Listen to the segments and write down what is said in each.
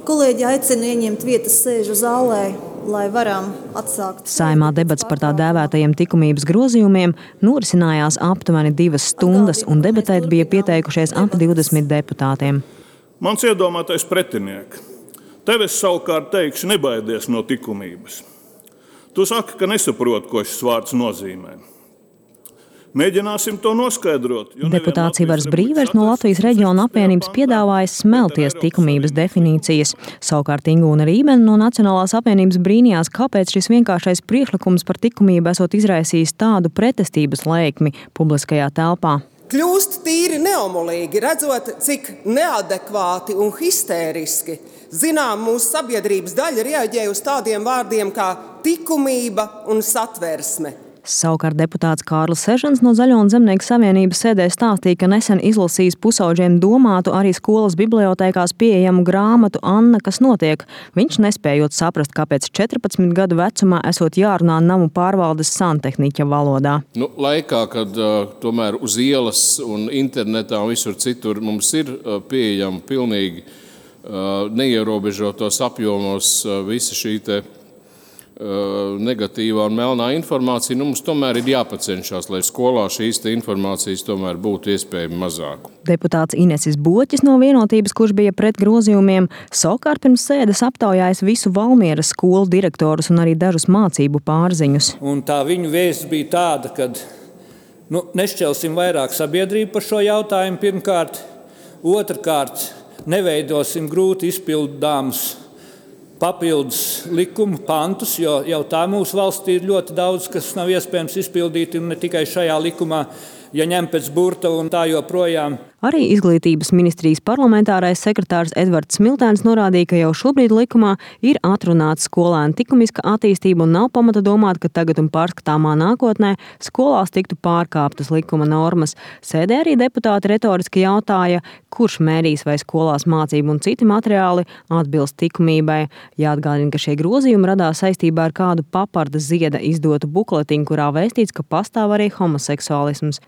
Kolēģi aicina ieņemt vietas sēžu zālē, lai varam atsākt. Saeimā debats par tā dēvētajiem likumības grozījumiem norisinājās aptuveni 2 stundas, un debatēt bija pieteikušies ap 20 deputātiem. Mans iedomātais pretinieks. Tev es savukārt teikšu, nebaidies no likumības. Tu saki, ka nesaproti, ko šis vārds nozīmē. Mēģināsim to noskaidrot. Deputāts Ivars Brīvers no Latvijas reģiona apvienības piedāvāja smelties likumības definīcijas. Savukārt Ingūna Rībene no Nacionālās apvienības brīnījās, kāpēc šis vienkāršais priekšlikums par likumību esot izraisījis tādu pretestības lēkmi publiskajā telpā. Kļūst tīri neomolīgi, redzot, cik neadekvāti un histēriski mūsu sabiedrības daļa reaģē uz tādiem vārdiem kā likumība un satversme. Savukārt deputāts Kārlis Sežans no Zaļo un Zemnieku savienības sēdē stāstīja, ka nesen izlasījis pusauģiem domātu arī skolas bibliotēkās pieejamu grāmatu Anna, kas notiek. Viņš nespējot saprast, kāpēc 14 gadu vecumā esot jārunā namu pārvaldes santehniķa valodā. Laikā, kad tomēr uz ielas un internetā un visur citur mums ir pieejama pilnīgi neierobežotos apjomos visa šī negatīvā un melnā informācija, mums tomēr ir jāpacenšas, lai skolā šīs informācijas tomēr būtu iespējami mazāk. Deputāts Inesis Boķis no Vienotības, kurš bija pret grozījumiem, savukārt pirms sēdes aptaujājis visu Valmieras skolu direktorus un arī dažus mācību pārziņus. Un tā viņu vēsts bija tāda, ka nešķelsim vairāk sabiedrību par šo jautājumu pirmkārt, otrkārt neveidosim grūti izpildāmus papildus likumu pantus, jo jau tā mūsu valstī ir ļoti daudz, kas nav iespējams izpildīt, un ne tikai šajā likumā, ja ņem pēc burta un tā joprojām. Arī Izglītības ministrijas parlamentārais sekretārs Edvards Smiltēns norādīja, ka jau šobrīd likumā ir atrunāts skolēnu likumiska attīstība un nav pamata domāt, ka tagad un pārskatāmā nākotnē skolās tiktu pārkāptas likuma normas. Sēdē arī deputāti retoriski jautāja, kurš mērīs vai skolās mācību un citi materiāli atbilst likumībai. Jāatgādina, ka šie grozījumi radās saistībā ar kādu Paparda Zieda izdotu bukletiņu, kurā vēstīts, ka pastāv arī homoseksuālisms.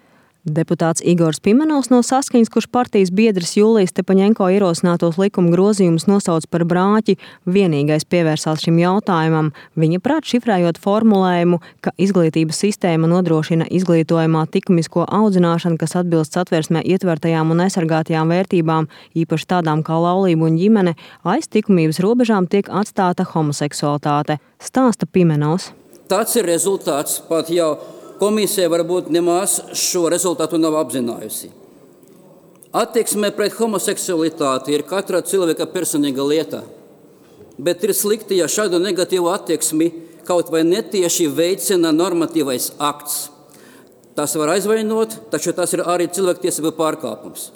Deputāts Igors Pimenovs no Saskaņas, kurš partijas biedrs Jūlijas Stepaņenko ierosinātos likuma grozījumus nosauc par brāķi, vienīgais pievērsās šim jautājumam. Viņa prāt šifrējot formulējumu, ka izglītības sistēma nodrošina izglītojumā likumisko audzināšanu, kas atbilst satversmē ietvertajām un aizsargātajām vērtībām, īpaši tādām kā laulība un ģimene, aiz likumības robežām tiek atstāta homoseksualitāte, stāsta Pimenovs. Tāds ir rezultāts, pat jau komisija varbūt nemaz šo rezultātu nav apzinājusi. Attieksme pret homoseksualitāti ir katra cilvēka personīga lieta, bet ir slikti, ja šādu negatīvu attieksmi kaut vai netieši veicina normatīvais akts. Tas var aizvainot, taču tas ir arī cilvēktiesību pārkāpums.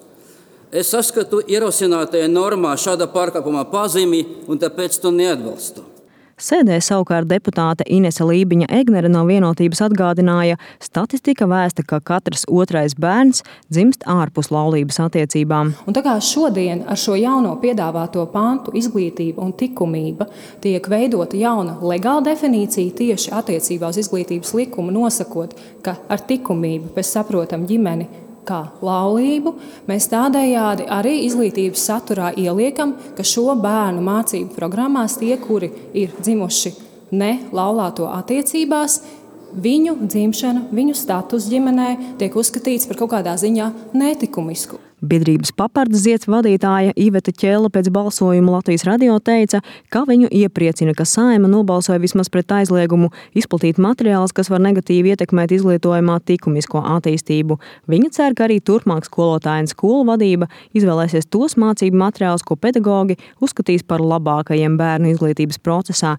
Es saskatu ierosinātajā normā šāda pārkāpuma pazīmi un tāpēc to neatbalstu. Sēdē savukārt deputāte Inese Lībiņa-Egnere no Vienotības atgādināja, statistika vēsta, ka katrs otrais bērns dzimst ārpus laulības attiecībām. Un tā kā šodien ar šo jauno piedāvāto pantu izglītība un likumība tiek veidota jauna legāla definīcija tieši attiecībā uz izglītības likumu, nosakot, ka ar likumību mēs saprotam ģimeni kā laulību, mēs tādējādi arī izglītības saturā ieliekam, ka šo bērnu mācību programmās tie, kuri ir dzimuši ne laulāto attiecībās, viņu dzimšana, viņu status ģimenē tiek uzskatīts par kaut kādā ziņā netikumisku. Biedrības Paparda Zieds vadītāja Iveta Ķēla pēc balsojuma Latvijas radio teica, ka viņu iepriecina, ka Saeima nobalsoja vismaz pret aizliegumu izplatīt materiālus, kas var negatīvi ietekmēt izglītojumā likumisko attīstību. Viņa cer, ka arī turpmāk skolotāja un skolu vadība izvēlēsies tos mācību materiālus, ko pedagogi uzskatīs par labākajiem bērnu izglītības procesā.